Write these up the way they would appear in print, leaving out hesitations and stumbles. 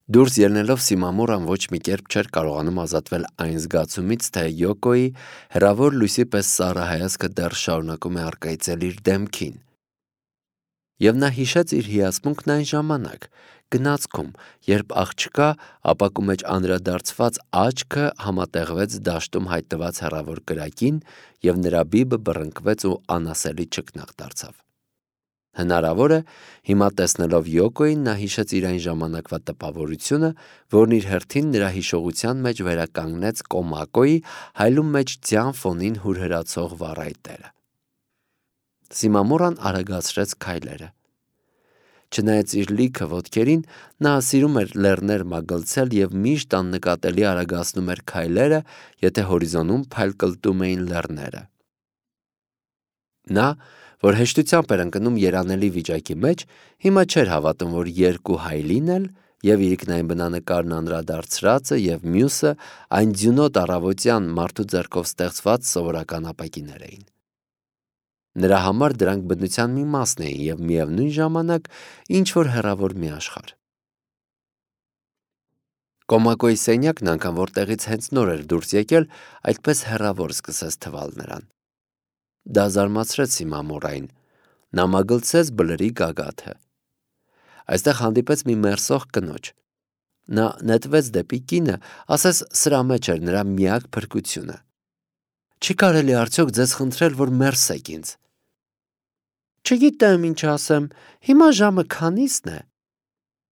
Դուրս ելնելով Սիմամուրան ոչ մի կերպ չէր կարողանում ազատվել այն զգացումից, թե Յոկոյի հեռավոր լույսի պես սառը հայացքը դեռ շարունակում է առկայծել իր դեմքին։ Եվ նա հիշեց իր հիացմունքն այն ժամանակ, գնացքում, երբ աղջկա ապակու մեջ անդրադարձված աչքը համատեղվեց դաշտում հայտնված հեռավոր կրակին և նրա բիբը բռնկվեց ու անասելի չքնաղ դարձավ։ Հնարավոր է, հիմա տեսնելով Յոկոյին նա հիշեց իր այն ժամանակվա տպավորությունը, որն իր հերթին նրա հիշողության մեջ վերականգնեց Կոմակոյի հայլում մեջ ձյան ֆոնին հուրհրացող վառայտերը։ Սիմամուրան արագացրեց քայլերը։ Չնայած իր լիքը ոտքերին, նա սիրում էր լեռներ մագլցել և միշտ աննկատելի արագացնում էր քայլերը, եթե հորիզոնում փայլկլտում էին լեռները։ Նա, որ հեշտությամբ էր ընկնում երանելի վիճակի մեջ, հիմա չէր հավատում, որ երկու հայլին էլ, և իրիկնային բնանկարն անդրադարձրածը և մյուսը այն ձյունոտ առավոտյան մարդու ձեռքով ստեղծված սովորական ապակիներ էին։ Նրա համար դրանք բնության մի մասն էին և միևնույն ժամանակ ինչ-որ հեռավոր մի աշխարհ։ Կոմակոյի սենյակն անգամ, որտեղից հենց նոր էր դուրս եկել, այդպես հեռավոր սկսեց թվալ նրան։ Դա զարմացրեց Սիմամուրային։ Նա մագլցեց բլրի գագաթը։ Այստեղ հանդիպեց մի մերսող կնոջ։ Նա նետվեց դեպի կինը, ասես սրա մեջ էր նրա միակ փրկությունը։ Չի կարելի արդյոք ձեզ խնդրել, որ մերսեք ինձ։ Չգիտեմ ինչ ասեմ, հիմա ժամը քանիսն է։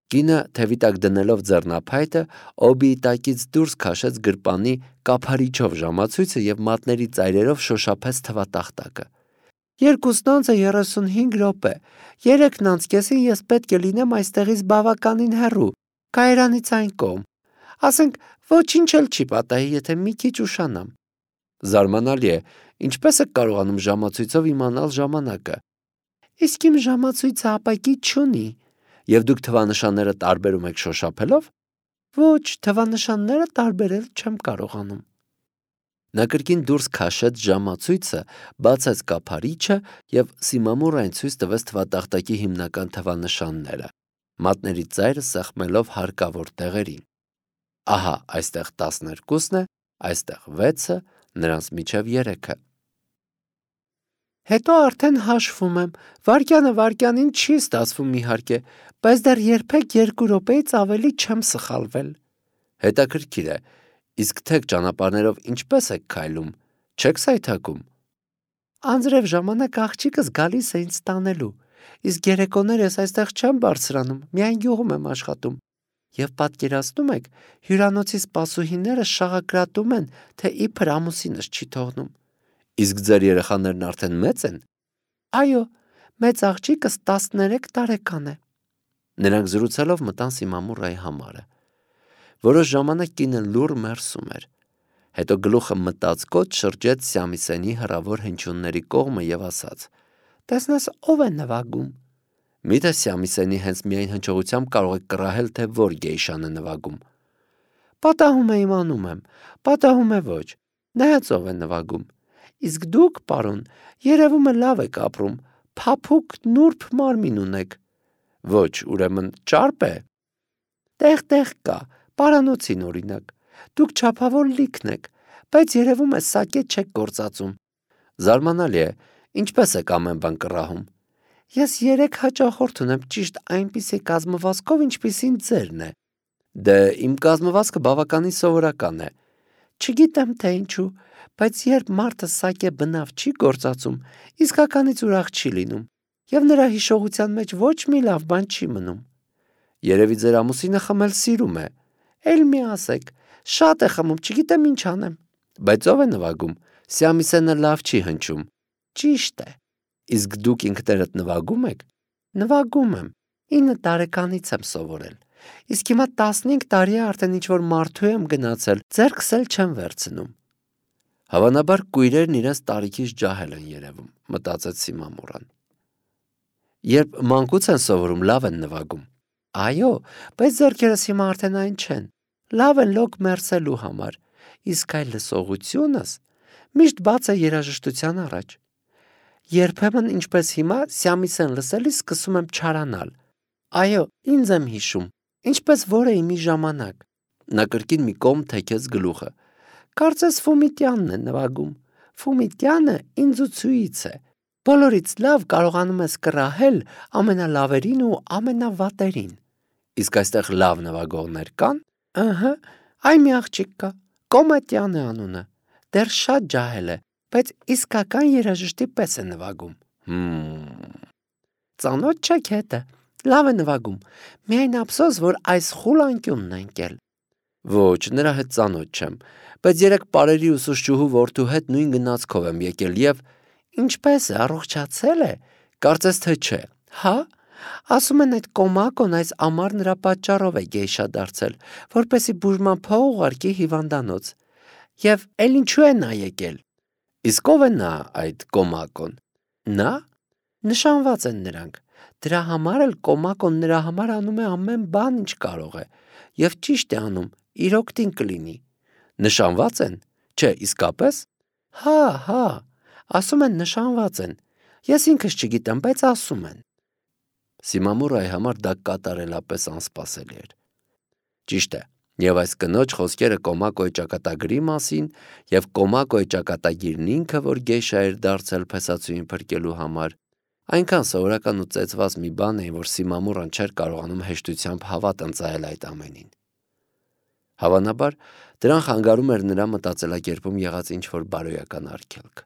Կինը թևի տակ դնելով ձեռնափայտը, օբիի տակից դուրս քաշեց գրպանի կափարիչով ժամացույցը և մատների ծայրերով շոշափեց թվատախտակը։ 2:35 րոպե, 3:30 ես պետք է լինեմ այստեղից բավականին հեռու, կայարանից այն կողմ։ Ասենք, ոչինչ էլ չի պատահի, եթե մի քիչ ուշանամ։ Զարմանալի է, ինչպես եք կարողանում ժամացույցով իմանալ ժամանակը։ Իսկ իմ ժամացույցը ապակի չունի։ Եվ դուք թվանշանները տարբերում եք շոշափելով։ Ոչ, թվանշանները տարբերել չեմ կարողանում։ Նա կրկին դուրս քաշեց ժամացույցը, բացեց կափարիչը և Սիմամուրային ցույց տվեց թվատախտակի հիմնական թվանշանները, մատների ծայրը սեղմելով հարկավոր տեղերին։ Ահա, այստեղ 12-ն է, այստեղ 6-ը, նրանց միջև 3-ը։ Հետո արդեն հաշվում եմ, վայրկյանը վայրկյանին չի ստացվում իհարկե, բայց դեռ երբեք 2 րոպեից ավելի չեմ սխալվել։ Հետաքրքիր է, իսկ թեք ճանապարհներով ինչպես եք քայլում, չեք սայթաքում։ Անձրև ժամանակ աղջիկս գալիս է ինձ տանելու, իսկ երեկոներս այստեղ չեմ բարձրանում, միայն գյուղում եմ աշխատում։ Եվ պատկերացնում եք, հյուրանոցի սպասուհիները շաղակրատում են, թե իբր ամուսինս չի թողնում։ Իսկ ձեր երեխաներն արդեն մեծ են։ Այո, մեծ աղջիկս 13 տարեկան է։ Նրանք զրուցելով մտան Սիմամուրայի համարը։ Որոշ ժամանակ կինը լուռ մերսում էր։ Հետո գլուխը մտածկոտ շրջեց Սյամիսենի հեռավոր հնչյունների կողմը և ասաց. Տեսնես ով է նվագում։ Միթե Սյամիսենի հենց միայն հնչողությամբ կարող եք կռահել, թե որ գեյշան է նվագում։ Պատահում է իմանում եմ, պատահում է ոչ, նայած ով է նվագում։ Իսկ դուք, պարոն, երևում է լավ եք ապրում, փափուկ նուրբ մարմին ունեք։ Ոչ, ուրեմն ճարպ է։ Տեղ կա, պարանոցին օրինակ։ Դուք չափավոր լիքն եք, բայց երևում է սակե չեք գործածում։ Զարմանալի է, ինչպես եք ամեն բան կռահում։ Ես 3 հաճախորդ ունեմ ճիշտ այնպիսի կազմվածքով, ինչպիսին ձերն է։ Դե իմ կազմվածքը բավականին սովորական է։ Չգիտեմ թե ինչու, բայց երբ մարդը սակե բնավ չի գործածում, իսկականից ուրախ չի լինում, և նրա հիշողության մեջ ոչ մի լավ բան չի մնում։ Երևի ձեր ամուսինը խմել սիրում է։ Էլ մի ասեք, շատ է խմում, չգիտեմ ինչ անեմ։ Բայց ով է նվագում։ Սյամիսենը լավ չի հնչում։ Ճիշտ է։ Իսկ դուք ինքներդ նվագում եք։ Նվագում եմ։ 9 տարեկանից եմ սովորել։ Իսկ հիմա 15 տարի է արդեն ինչ-որ մարդու եմ գնացել, ձեռքս էլ չեմ վերցնում։ Հավանաբար կույրերն իրենց տարիքից ջահել են երևում, մտածեց Սիմամուրան։ Երբ մանկուց են սովորում, լավ են նվագում։ Այո, բայց ձեռքերս հիմա արդեն այն չեն։ Լավ են լոկ մերսելու համար, իսկ այ լսողությունս միշտ բաց է երաժշտության առաջ։ Երբեմն ինչպես հիմա Սյամիսեն լսելիս սկսում եմ չարանալ։ Այո, ինձ եմ հիշում, ինչպես որեի մի ժամանակ։ Նա կրկին մի կողմ թեքեց գլուխը։ Կարծես Ֆումիտյանն է նվագում։ Ֆումիտյանը ինձուցուից է։ Բոլորից լավ կարողանում ես կռահել ամենալավերին ու ամենավատերին։ Իսկ այստեղ լավ նվագողներ կան։ Ըհը, այ մի աղջիկ կա։ Կոմետյան է անունը։ Դեռ շատ ջահել է, բայց իսկական երաժշտի պես է նվագում։ Ծանոթ չեք հետը։ Լավ է նվագում։ Միայն ափսոս, որ այս խուլ անկյունն է ընկել։ Ոչ, նրա հետ ծանոթ չեմ, բայց երեք պարերի ուսուցչուհու որդու հետ նույն գնացքով եմ եկել եւ ինչպես է, առողջացել է։ Կարծես թե չէ։ Հա։ Ասում են այդ Կոմակոն այս ամառ նրա պատճառով է գեյշա դարձել, որպեսի բուժման փող ուղարկի հիվանդանոց։ Եվ էլ ինչու է նա եկել։ Իսկ ով է նա այդ Կոմակոն։ Նա նշանված են նրանք։ Դրա համար էլ Կոմակոն նրա համար անում է ամեն բան, ինչ կարող է, եւ ճիշտ է անում, իր օգտին կլինի։ Նշանված են։ Չէ, իսկապես։ Հա, ասում են նշանված են։ Ես ինքս չգիտեմ, բայց ասում են։ Սիմամուրայի համար դա կատարելապես անսպասելի էր։ Ճիշտ է, եւ այս կնոջ խոսքերը Կոմակոյի ճակատագրի մասին եւ Կոմակոյի ճակատագիրն ինքը, որ գեյշա էր դարձել փեսացուին փրկելու համար, այնքան սովորական ու ծեծված մի բան էին, որ Սիմամուրան չէր կարողանում հեշտությամբ հավատ ընծայել այդ ամենին։ Հավանաբար, դրան խանգարում էր նրա մտածելակերպում եղած ինչ-որ բարոյական արգելք։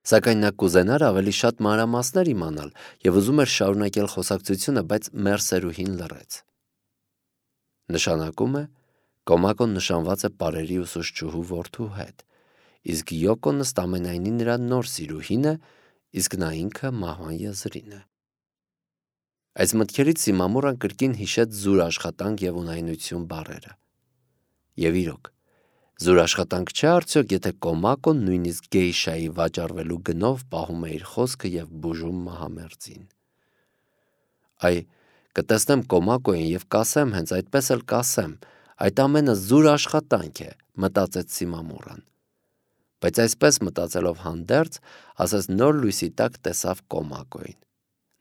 Սակայն նա կուզենար ավելի շատ մանրամասներ իմանալ եւ ուզում էր շարունակել խոսակցությունը, բայց Մերսերուհին լռեց։ Նշանակում է, Կոմակոն նշանված է պարերի ուսուցչուհու որդու հետ, իսկ Յոկոն ըստ ամենայնի նրա նոր սիրուհին է, իսկ նա ինքը մահվան եզրին է։ Այս մտքերից Սիմամուրան կրկին հիշեց զուր աշխատանք եւ ունայնություն բառերը։ Եվ իրոք, զուր աշխատանք չէ արդյոք, եթե Կոմակոն նույնիսկ գեյշայի վաճառվելու գնով պահում է իր խոսքը եւ բուժում մահամերձին։ Այ, կտեսնեմ Կոմակոյին եւ կասեմ, հենց այդպես էլ կասեմ, այդ ամենը զուր աշխատանք է, մտածեց Սիմամուրան։ Բայց այսպես մտածելով հանդերձ, ասես նոր լույսի տակ տեսավ Կոմակոյին։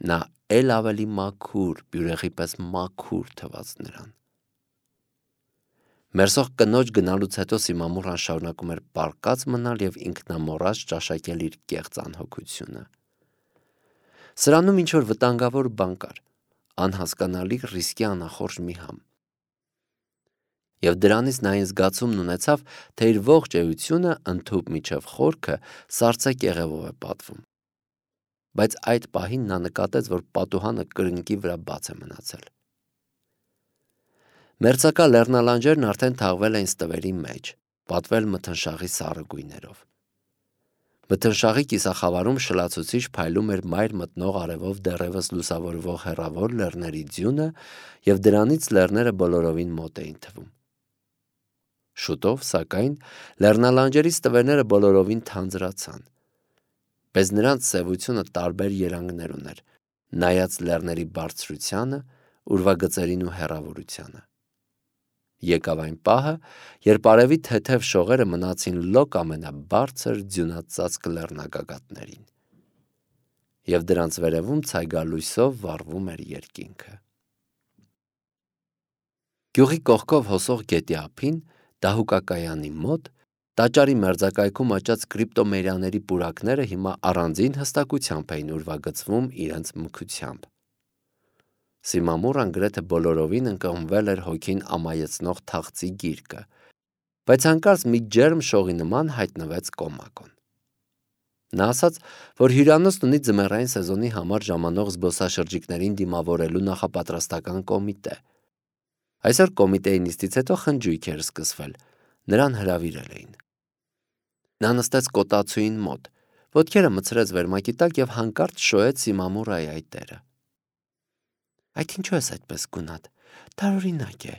Նա էլ ավելի մաքուր, բյուրեղի պես մաքուր թվաց նրան։ Մերսող կնոջ գնալուց հետո Սիմամուրան շարունակում էր պառկած մնալ եւ ինքնամոռաց ճաշակել իր կեղծ անհոգությունը։ Սրանում ինչ-որ վտանգավոր բան կար, անհասկանալի ռիսկի անախորժ մի համ։ Եվ դրանից նա այն զգացումն ունեցավ, թե իր ողջ էությունը ընդհուպ միջև խորքը սառցե կեղևով է պատվում։ Բայց այդ պահին նա նկատեց, որ պատուհանը կրնկի վրա բաց է մնացել։ Մերձակա լեռնալանջերն արդեն թաղվել էին ստվերի մեջ, պատվել մթնշաղի սառը գույներով։ Մթնշաղի կիսախավարում շլացուցիչ փայլում էր մայր մտնող արևով դեռևս լուսավորվող հեռավոր լեռների ձյունը, եւ դրանից լեռները բոլորովին մոտ էին թվում։ Շուտով, սակայն, լեռնալանջերի ստվերները բոլորովին թանձրացան։ Բայց նրանց սևությունը տարբեր երանգներ ուներ, նայած լեռների բարձրությանը, ուրվագծերին ու հեռավորությանը։ Եկավ այն պահը, երբ արևի թեթև շողերը մնացին լոկ ամենաբարձր ձյունածածկ լեռնագագաթներին, եւ դրանց վերևում ցայգալույսով վառվում էր երկինքը։ Գյուղի կողքով հոսող գետի ափին, դահուկակայանի մոտ, տաճարի մերձակայքում աճած կրիպտոմերիաների պուրակները հիմա առանձին հստակությամբ էին ուրվագծվում իրենց մքությամբ։ Սիմամուրան գրեթե բոլորովին ընկղմվել էր հոգին ամայեցնող թախծի գիրկը, բայց հանկարծ մի ջերմ շողի նման հայտնվեց Կոմակոն։ Նա ասաց, որ հյուրանոցն ունի ձմեռային սեզոնի համար ժամանող զբոսաշրջիկներին դիմավորելու նախապատրաստական կոմիտե։ Այսօր կոմիտեի նիստից հետո խնջույք էր սկսվել, նրան հրավիրել էին։ Նա նստեց կոտացուին մոտ, ոտքերը մտցրեց վերմակի տակ եւ հանկարծ շոյեց Սիմամուրայի այտերը։ Այդ ինչու ես այդպես գունատ, տարօրինակ է։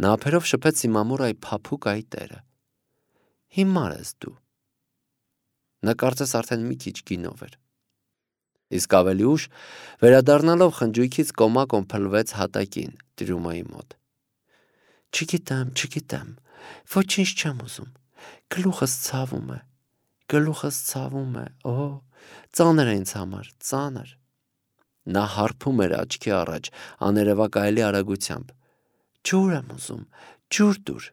Նա ափերով շփեց Սիմամուրայի փափուկ այտերը։ Հիմար ես դու։ Նա կարծես արդեն մի քիչ գինով էր։ Իսկ ավելի ուշ, վերադառնալով խնջույքից Կոմակոն փլվեց հատակին, Տրյումայի մոտ։ Չգիտեմ, ոչինչ չեմ ուզում, գլուխս ցավում է, օ, ծանր է ինձ համար, ծանր։ Նա հարբում էր աչքի առաջ, աներևակայելի արագությամբ։ Ջուր եմ ուզում, ջուր դուր։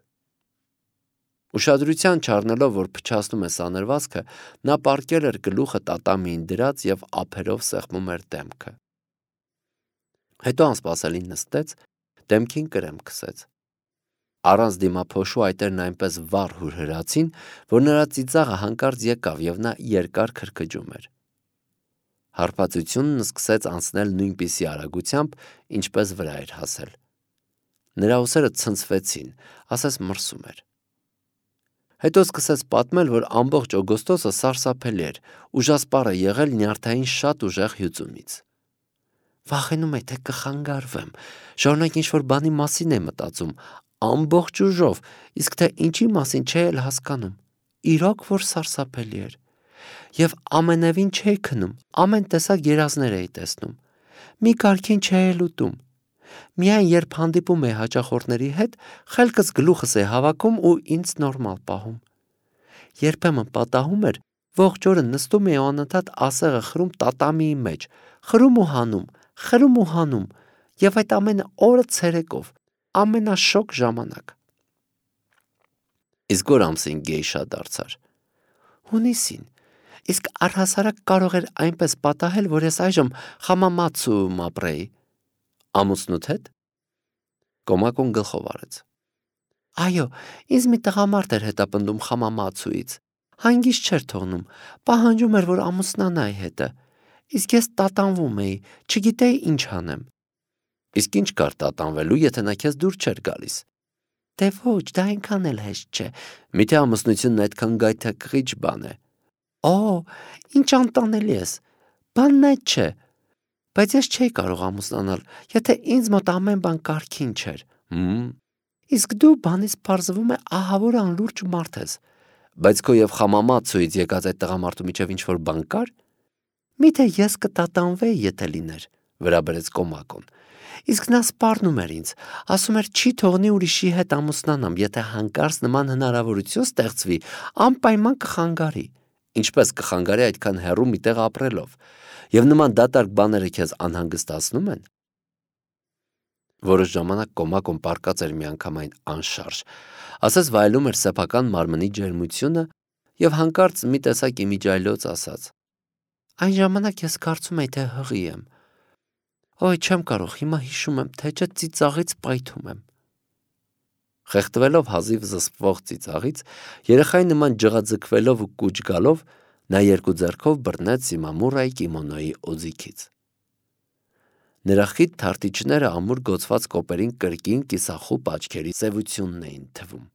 Ուշադրության չառնելով, որ փչացնում է սանրվածքը, նա պառկել էր գլուխը տատամիին դրած և ափերով սեղմում էր դեմքը։ Հետո անսպասելի նստեց, դեմքին կրեմ քսեց։ Առանց դիմափոշու այտերն այնպես վառ հուրհրացին, որ նրա ծիծաղը հանկարծ եկավ և նա երկար քրքջում էր։ Հարբածությունն սկսեց անցնել նույնպիսի արագությամբ, ինչպես վրա էր հասել։ Նրա ուսերը ցնցվեցին, ասես մրսում էր։ Հետո սկսեց պատմել, որ ամբողջ օգոստոսը սարսափելի էր, ուժասպառ է եղել նյարդային շատ ուժեղ հյուծումից։ Վախենում է, թե կխանգարվեմ, շարունակ ինչ-որ բանի մասին է մտածում, ամբողջ ուժով, իսկ թե ինչի մասին չէ էլ հասկանում։ Իրոք որ սարսափելի էր։ Եվ ամենևին չէի քնում, ամեն տեսակ երազներ էի տեսնում։ Մի կարգին չէի էլ ուտում։ Միայն երբ հանդիպում էի հաճախորդների հետ, խելքս գլուխս էի հավաքում ու ինձ նորմալ պահում։ Երբեմն պատահում էր, ողջ օրը նստում էի ու անընդհատ ասեղը խրում տատամիի մեջ, խրում ու հանում, և այդ ամենը օրը ցերեկով, ամենաշոգ ժամանակ։ Իսկ որ ամսին գեյշա դարձար։ Հունիսին։ Իսկ առհասարակ կարող էր այնպես պատահել, որ ես այժմ Խամամացուում ապրեի։ Ամուսնուդ հետ։ Կոմակոն գլխով արեց։ Այո, ինձ մի տղամարդ էր հետապնդում Խամամացուից։ Հանգիստ չէր թողնում, պահանջում էր, որ ամուսնանայի հետը։ Իսկ ես տատանվում էի, չգիտեի ինչ անեմ։ Իսկ ինչ կար տատանվելու, եթե նա քեզ դուր չէր գալիս։ Դե ոչ, դա այնքան էլ հեշտ չէ։ Միթե ամուսնությունն այդքան գայթակղիչ բան է։ Օ, ինչ անտանելի ես։ Բանն այդ չէ։ Բայց ես չէի կարող ամուսնանալ, եթե ինձ մոտ ամեն բան կարգին չէր։ Իսկ դու բանից պարզվում է ահավոր անլուրջ մարդ ես։ Բայց քո և Խամամացուից եկած այդ տղամարդու միջև ինչ-որ բան կար։ Միթե ես կտատանվեի, եթե լիներ, վրա բերեց Կոմակոն։ Իսկ նա սպառնում էր ինձ, ասում էր չի թողնի ուրիշի հետ ամուսնանամ, եթե հանկարծ նման հնարավորություն ստեղծվի, անպայման կխանգարի։ Ինչպես կխանգարի այդքան հեռու մի տեղ ապրելով։ Եվ նման դատարկ բաները քեզ անհանգստացնում են։ Որոշ ժամանակ Կոմակոն պառկած էր միանգամայն անշարժ, ասես վայելում էր սեփական մարմնի ջերմությունը և հանկարծ մի տեսակ իմիջիայլոց ասաց. Այն ժամանակ ես կարծում էի, թե հղի եմ։ Ոյ, չեմ կարող, հիմա հիշում եմ, թե չէ ծիծաղից պայթում եմ։ Խեղդվելով հազիվ զսպվող ծիծաղից, երեխայի նման ջղաձգվելով ու կուչ գալով, նա երկու ձեռքով բռնեց Սիմամուրայի կիմոնոյի օձիքից։ Նրա խիտ թարտիչները ամուր գոցված կոպերին կրկին կիսախուպ աչքերի սևությունն էին թվում։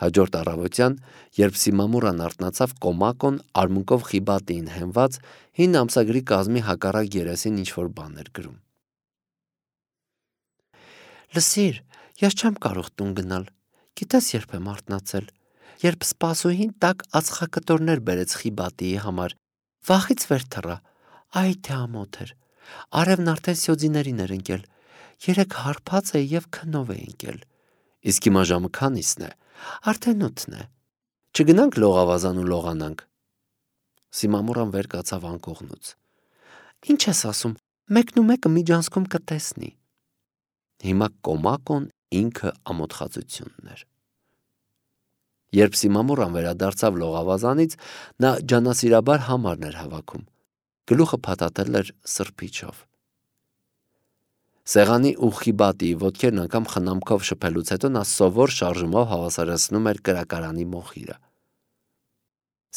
Հաջորդ առավոտյան, երբ Սիմամուրան արթնացավ, Կոմակոն արմունկով խիբատին հենված հին ամսագրի կազմի հակառակ երեսին ինչ-որ բան էր գրում։ Լսիր, ես չեմ կարող տուն գնալ, գիտես երբ եմ արթնացել, երբ սպասուհին տաք ածխակտորներ բերեց խիբատիի համար, վախից վեր թռա, այ թե ամոթ էր, արևն արդեն սյոձիներին էր ընկել, երեք հարբած է և քնով է ընկել, իսկ հիմա ժամը քանիսն է, արդեն 8-ն է, չգնանք լողավազան ու լողանանք։ Սիմամուրան վեր կացավ անկողնուց։ Ինչ ես ասում, մեկն ու մեկը միջանցքում կտեսնի։ Հիմա Կոմակոն ինքը ամոթխածությունն էր։ Երբ Սիմամուրան վերադարձավ լողավազանից, նա ջանասիրաբար համարն էր հավաքում, գլուխը փաթաթել էր սրբիչով։ Սեղանի ու խիբատիի ոտքերն անգամ խնամքով շփելուց հետո նա սովոր շարժումով հավասարեցնում էր կրակարանի մոխիրը։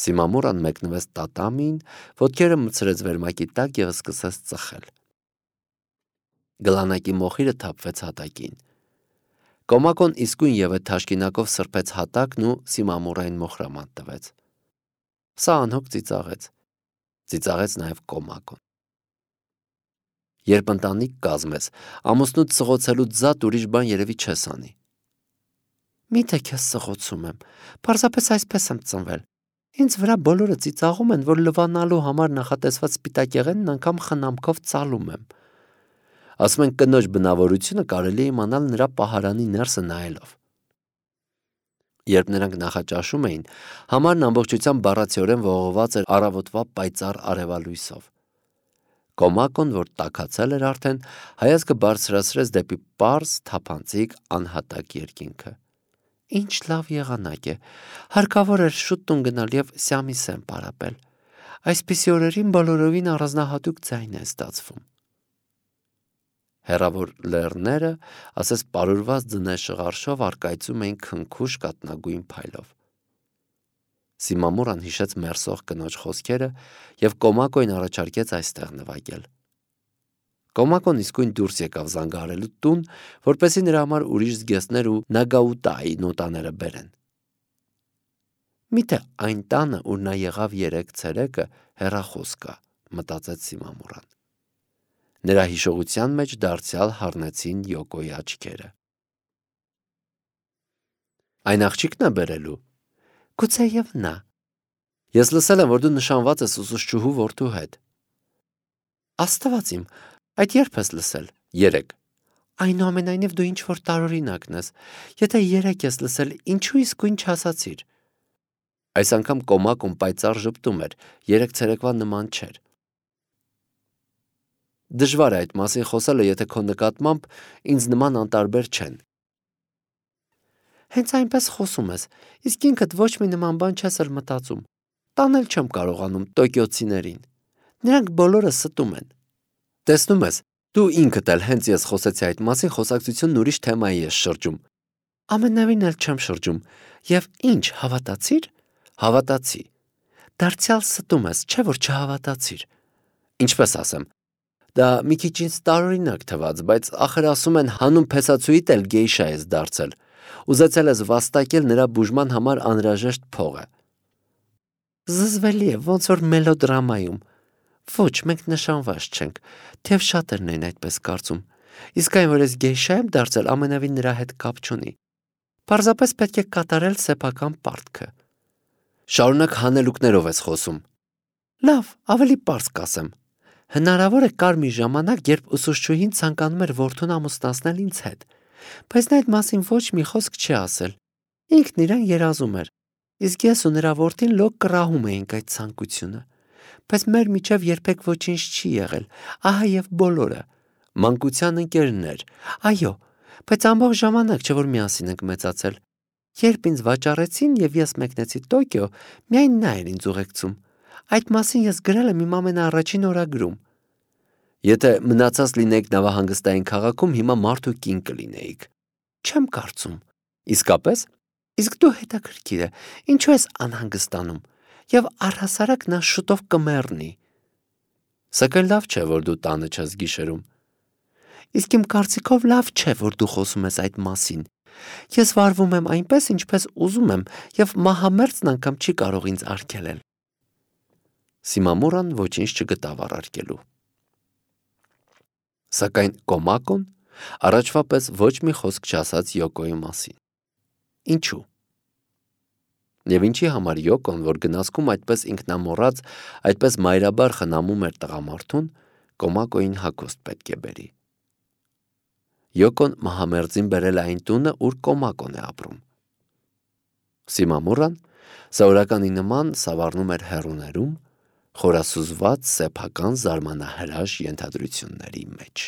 Սիմամուրան մեկնվեց տատամիին, ոտքերը մտցրեց վերմակի տակ և սկսեց ծխել։ Գլանակի մոխիրը թափվեց հատակին։ Կոմակոն իսկույն ևեթ թաշկինակով սրբեց հատակն ու Սիմամուրային մոխրամանտ տվեց։ Սա անհոգ ծիծաղեց։ Ծիծաղեց նաև Կոմակոն։ Երբ ընտանիք կազմես, ամուսնուդ սղոցելուց զատ ուրիշ բան երևի չես անի։ Միթե քեզ սղոցում եմ, պարզապես այսպես եմ ծնվել։ Ինձ վրա բոլորը ծիծաղում են, որ լվանալու համար նախատեսված սպիտակեղենն անգամ խնամքով ծալում եմ։ Ասում են կնոջ բնավորությունը կարելի է իմանալ նրա պահարանի ներսը նայելով։ Երբ նրանք նախաճաշում էին, համարն ամբողջությամբ բառացիորեն ողողված էր առավոտվա պայծառ արևալույսով։ Կոմակոն, որ տաքացել էր արդեն, հայացքը բարձրացրեց դեպի պարզ, թափանցիկ, անհատակ երկինքը։ Ինչ լավ եղանակ է, հարկավոր էր շուտ տուն գնալ և Սյամիսեն պարապել։ Այսպիսի օրերին բոլորովին առանձնահատուկ ձայն է ստացվում։ Հեռավոր լեռները, ասես պարուրված ձնե շղարշով առկայծում էին քնքուշ կատնագույն փայլով։ Սիմամուրան հիշեց մերսող կնոջ խոսքերը և Կոմակոին առաջարկեց այստեղ նվագել։ Կոմակոն իսկույն դուրս եկավ զանգահարելու տուն, որպեսզի նրա համար ուրիշ զգեստներ ու Նագաուտայի նոտաները բերեն։ Միթե այն տանը, ուր նա եղավ 3 ցերեկը, հեռախոս կա, մտածեց Սիմամուրան։ Նրա հիշողության մեջ դարձյալ հառնեցին Յոկոյի աչքերը։ Այն աղջիկն է բերելու։ Գուցեև նա։ Ես լսել եմ, որ դու նշանված ես ուսուցչուհու որդու հետ։ Աստված իմ, այդ երբ ես լսել։ 3։ Այնուամենայնիվ դու ինչ-որ տարօրինակն ես։ Եթե 3 ես լսել, ինչու իսկույն չասացիր։ Այս անգամ Կոմակոն պայծառ ժպտում էր, 3 ցերեկվա նման չէր։ Դժվար է այդ մասին խոսելը, եթե քո նկատմամբ ինձ նման անտարբեր չեն։ Հենց այնպես խոսում ես, իսկ ինքդ ոչ մի նման բան չես էլ մտածում։ Տանել չեմ կարողանում տոկիոցիներին։ Նրանք բոլորը ստում են։ Տեսնում ես, դու ինքդ էլ հենց ես խոսեցի այդ մասին, խոսակցությունն ուրիշ թեմայի ես շրջում։ Ամենավին էլ չեմ շրջում։ Եվ ինչ, հավատացիր։ Հավատացի։ Դարձյալ ստում ես, չէ՞ որ չհավատացիր։ Ինչպես ասեմ։ Դա մի քիչ ինձ տարօրինակ թվաց, բայց ախր ասում են հանուն փեսացուիդ էլ գեյշա ես դարձել։ Ուզեցել ես վաստակել նրա բուժման համար անհրաժեշտ փողը։ Զզվելի է, ոնց որ մելոդրամայում։ Ոչ, մենք նշանված չենք, թեև շատերն են այդպես կարծում։ Իսկ այն, որ ես գեյշա եմ դարձել, ամենավին նրա հետ կապ չունի։ Պարզապես պետք է կատարել սեփական պարտքը։ Շարունակ հանելուկներով ես խոսում։ Լավ, ավելի պարզ կասեմ։ Հնարավոր է կար մի ժամանակ, երբ ուսուցչուհին ցանկանում էր որդուն ամուսնացնել ինձ հետ, բայց նա այդ մասին ոչ մի խոսք չի ասել։ Ինքն իրեն երազում էր, իսկ ես ու նրա որդին լոկ կռահում էինք այդ ցանկությունը։ Բայց մեր միջև երբեք ոչինչ չի եղել, ահա եւ բոլորը։ Մանկության ընկերներ, այո, բայց ամբողջ ժամանակ չէ որ միասին ենք մեծացել։ Երբ ինձ վաճառեցին եւ ես մեկնեցի Տոկիո, միայն նա էր ինձ ուղեկցում։ Այդ մասին ես գրել եմ իմ ամենաառաջին օրագրում։ Եթե մնացած լինեիք նավահանգստային քաղաքում, հիմա մարդ ու կին կլինեիք։ Չեմ կարծում։ Իսկապես։ Իսկ դու հետաքրքիր է, ինչու ես անհանգստանում։ Եվ առհասարակ նա շուտով կմեռնի։ Սակայն լավ չէ, որ դու տանը չես գիշերում։ Իսկ իմ կարծիքով լավ չէ, որ դու խոսում ես այդ մասին։ Ես վարվում եմ այնպես, ինչպես ուզում եմ, եւ մահամերձն անգամ չի կարող ինձ արգելել։ Սիմամուրան ոչինչ չգտավ առարկելու։ Սակայն Կոմակոն առաջվա պես ոչ մի խոսք չասաց Յոկոյի մասին։ Ինչու։ Եվ ինչի համար Յոկոն, որ գնացքում այդպես ինքնամոռաց, այդպես մայրաբար խնամում էր տղամարդուն, Կոմակոյին հագուստ պետք է բերի։ Յոկոն մահամերձին բերել է այն տունը, ուր Կոմակոն է ապրում։ Սիմամուրան սովորականի նման սավառնում էր հեռուներում, խորասուզված սեփական զարմանահրաշ ենթադրությունների մեջ։